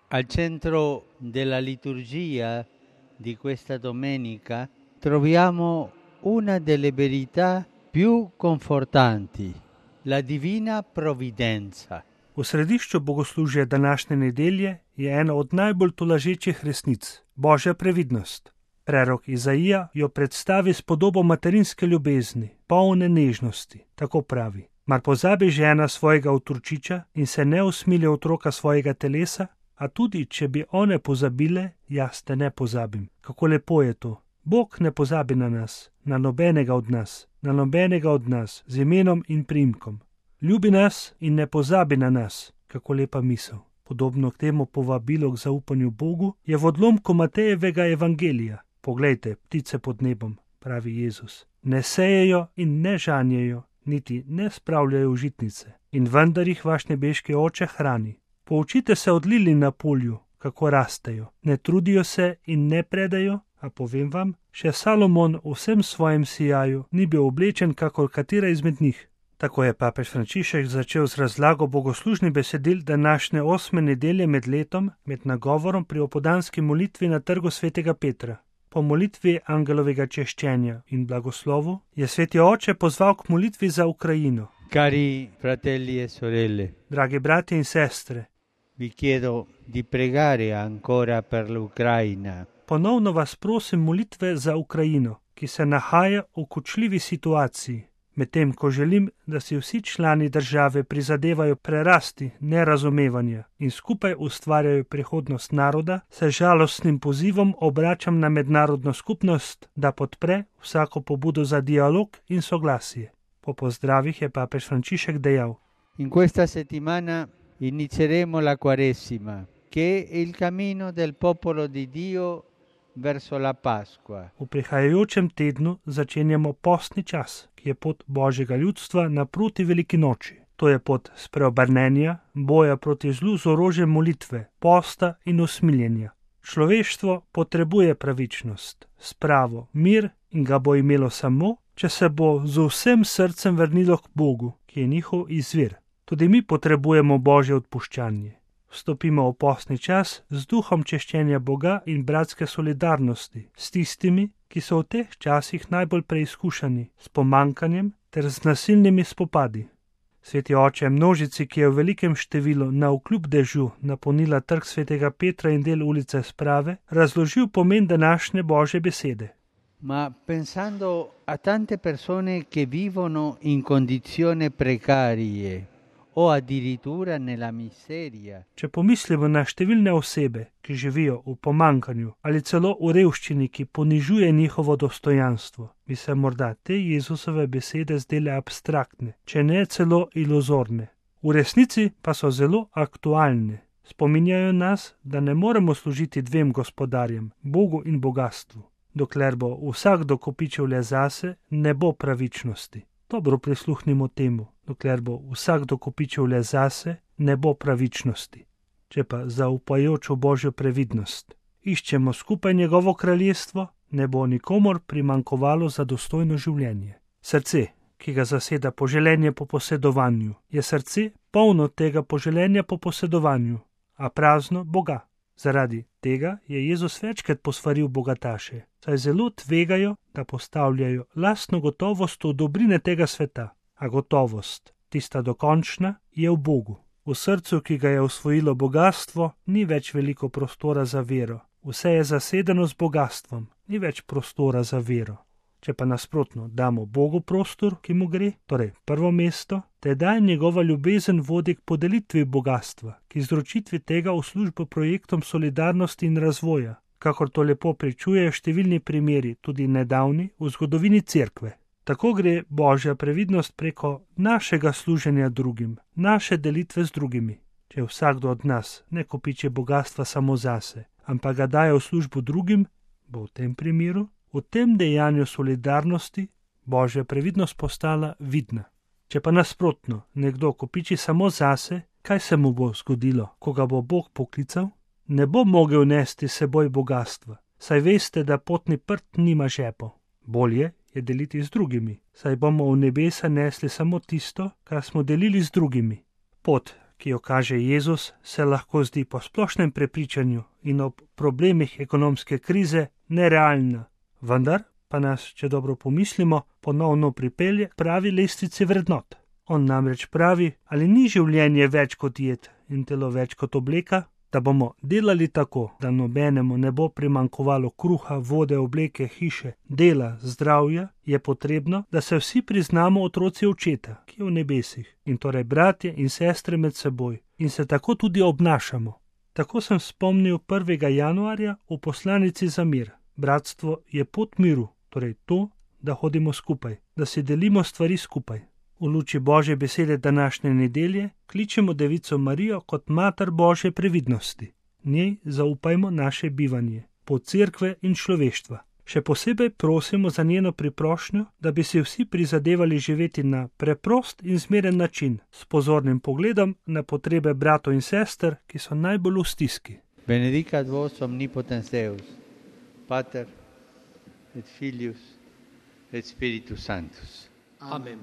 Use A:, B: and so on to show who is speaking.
A: Al centro della liturgia di questa domenica troviamo una delle verità più confortanti, la divina provvidenza.
B: V središču bogoslužja današnje nedelje je ena od najbolj tolažečih resnic, Božja previdnost. Prerok Izaija jo predstavi s podobo materinske ljubezni, polne nežnosti, tako pravi. Mar pozabi žena svojega otročiča in se ne usmilja otroka svojega telesa? A tudi, če bi one pozabile, jaz te ne pozabim. Kako lepo je to. Bog ne pozabi na nas, na nobenega od nas, z imenom in priimkom. Ljubi nas in ne pozabi na nas. Kako lepa misel. Podobno k temu povabilu k zaupanju Bogu je v odlomku Matejevega evangelija. Poglejte, ptice pod nebom, pravi Jezus. Ne sejejo in ne žanjejo, niti ne spravljajo v žitnice. In vendar jih vaš nebeški oče hrani. Poučite se od lilij na polju, kako rastejo. Ne trudijo se in ne predajo, a povem vam, še Salomon v vsem svojem sijaju ni bil oblečen kakor katera izmed njih. Tako je papež Frančišek začel z razlago bogoslužnih besedil današnje 8. nedelje med letom, med nagovorom pri opoldanski molitvi na trgu svetega Petra. Po molitvi angelovega češčenja in blagoslovu je sveti oče pozval k molitvi za Ukrajino.
A: Cari fratelli e sorelle,
B: Dragi bratje in sestre,
A: vi chiedo di pregare ancora per l'Ucraina.
B: ponovno vas prosim molitve za Ukrajino, ki se nahaja v kočljivi situaciji, medtem ko želim, da si vsi člani države prizadevajo prerasti nerazumevanja in skupaj ustvarjajo prihodnost naroda, se žalostnim pozivom obračam na mednarodno skupnost, da podpre vsako pobudo za dialog in soglasje. Po pozdravih je papež Frančišek dejal:
A: In questa settimana inizieremo la Quaresima, che è il cammino del popolo di Dio verso la Pasqua.
B: V prihajajočem tednu začenjamo postni čas, ki je pot Božjega ljudstva naproti veliki noči. To je pot spreobrnenja, boja proti zlu z orožjem molitve, posta in usmiljenja. Človeštvo potrebuje pravičnost, spravo, mir in ga bo imelo samo, če se bo z vsem srcem vrnilo k Bogu, ki je njihov izvir. Tudi mi potrebujemo Božje odpuščanje. Vstopimo v postni čas z duhom češčenja Boga in bratske solidarnosti s tistimi, ki so v teh časih najbolj preizkušani, s pomankanjem ter z nasilnimi spopadi. Sveti oče množici, ki je v velikem številu navkljub dežju napolnila trg svetega Petra in del ulice Sprave, razložil pomen današnje Božje besede.
A: Ma pensando a tante persone che vivono in condizioni precarie o addirittura nella miseria.
B: Če pomislimo na številne osebe, ki živijo v pomankanju ali celo v revščini, ki ponižuje njihovo dostojanstvo, bi se morda te Jezusove besede zdele abstraktne, če ne celo iluzorne. V resnici pa so zelo aktualne. Spominjajo nas, da ne moremo služiti dvem gospodarjem, Bogu in bogastvu. Dokler bo vsakdo kopičil le zase, ne bo pravičnosti. Dobro prisluhnimo temu. Dokler bo vsakdo kopičil le zase, ne bo pravičnosti. Če pa zaupajoč v Božjo previdnost iščemo skupaj njegovo kraljestvo, ne bo nikomor primankovalo za dostojno življenje. Srce, ki ga zaseda poželenje po posedovanju, je srce polno tega poželenja po posedovanju, a prazno Boga. Zaradi tega je Jezus večkrat posvaril bogataše, saj zelo tvegajo, da postavljajo lastno gotovost v dobrine tega sveta. A gotovost, tista dokončna, je v Bogu. V srcu, ki ga je osvojilo bogastvo, ni več veliko prostora za vero. Vse je zasedeno z bogastvom, ni več prostora za vero. Če pa nasprotno damo Bogu prostor, ki mu gre, torej prvo mesto, tedaj njegova ljubezen vodi k podelitvi bogastva, k izročitvi tega v službo projektom solidarnosti in razvoja, kakor to lepo pričujejo številni primeri, tudi nedavni, v zgodovini Cerkve. Tako gre Božja previdnost preko našega služenja drugim, naše delitve z drugimi. Če vsakdo od nas ne kopiči bogastva samo zase, ampak ga daje v službo drugim, bo v tem primeru, v tem dejanju solidarnosti, Božja previdnost postala vidna. Če pa nasprotno nekdo kopiči samo zase, kaj se mu bo zgodilo, ko ga bo Bog poklical? Ne bo mogel nesti seboj bogastva, saj veste, da potni prt nima žepov. Bolje je deliti z drugimi, saj bomo v nebesa nesli samo tisto, kar smo delili z drugimi. Pot, ki jo kaže Jezus, se lahko zdi po splošnem prepričanju in ob problemih ekonomske krize nerealna. Vendar pa nas, če dobro pomislimo, ponovno pripelje pravi lestvici vrednot. On namreč pravi, ali ni življenje več kot jed in telo več kot obleka, da bomo delali tako, da nobenemu ne bo primanjkovalo kruha, vode, obleke, hiše, dela, zdravja, je potrebno, da se vsi priznamo otroci Očeta, ki je v nebesih, in torej bratje in sestre med seboj, in se tako tudi obnašamo. Tako sem spomnil 1. januarja v poslanici za mir. Bratstvo je pot miru, torej to, da hodimo skupaj, da si delimo stvari skupaj. V luči Božje besede današnje nedelje kličemo Devico Marijo kot Mater Božje previdnosti. Njej zaupajmo naše bivanje, pot cerkve in človeštva. Še posebej prosimo za njeno priprošnjo, da bi si vsi prizadevali živeti na preprost in zmeren način, s pozornim pogledom na potrebe bratov in sester, ki so najbolj v stiski.
A: Benedicat vos omnipotens Deus, Pater et Filius et Spiritus Sanctus.
C: Amen.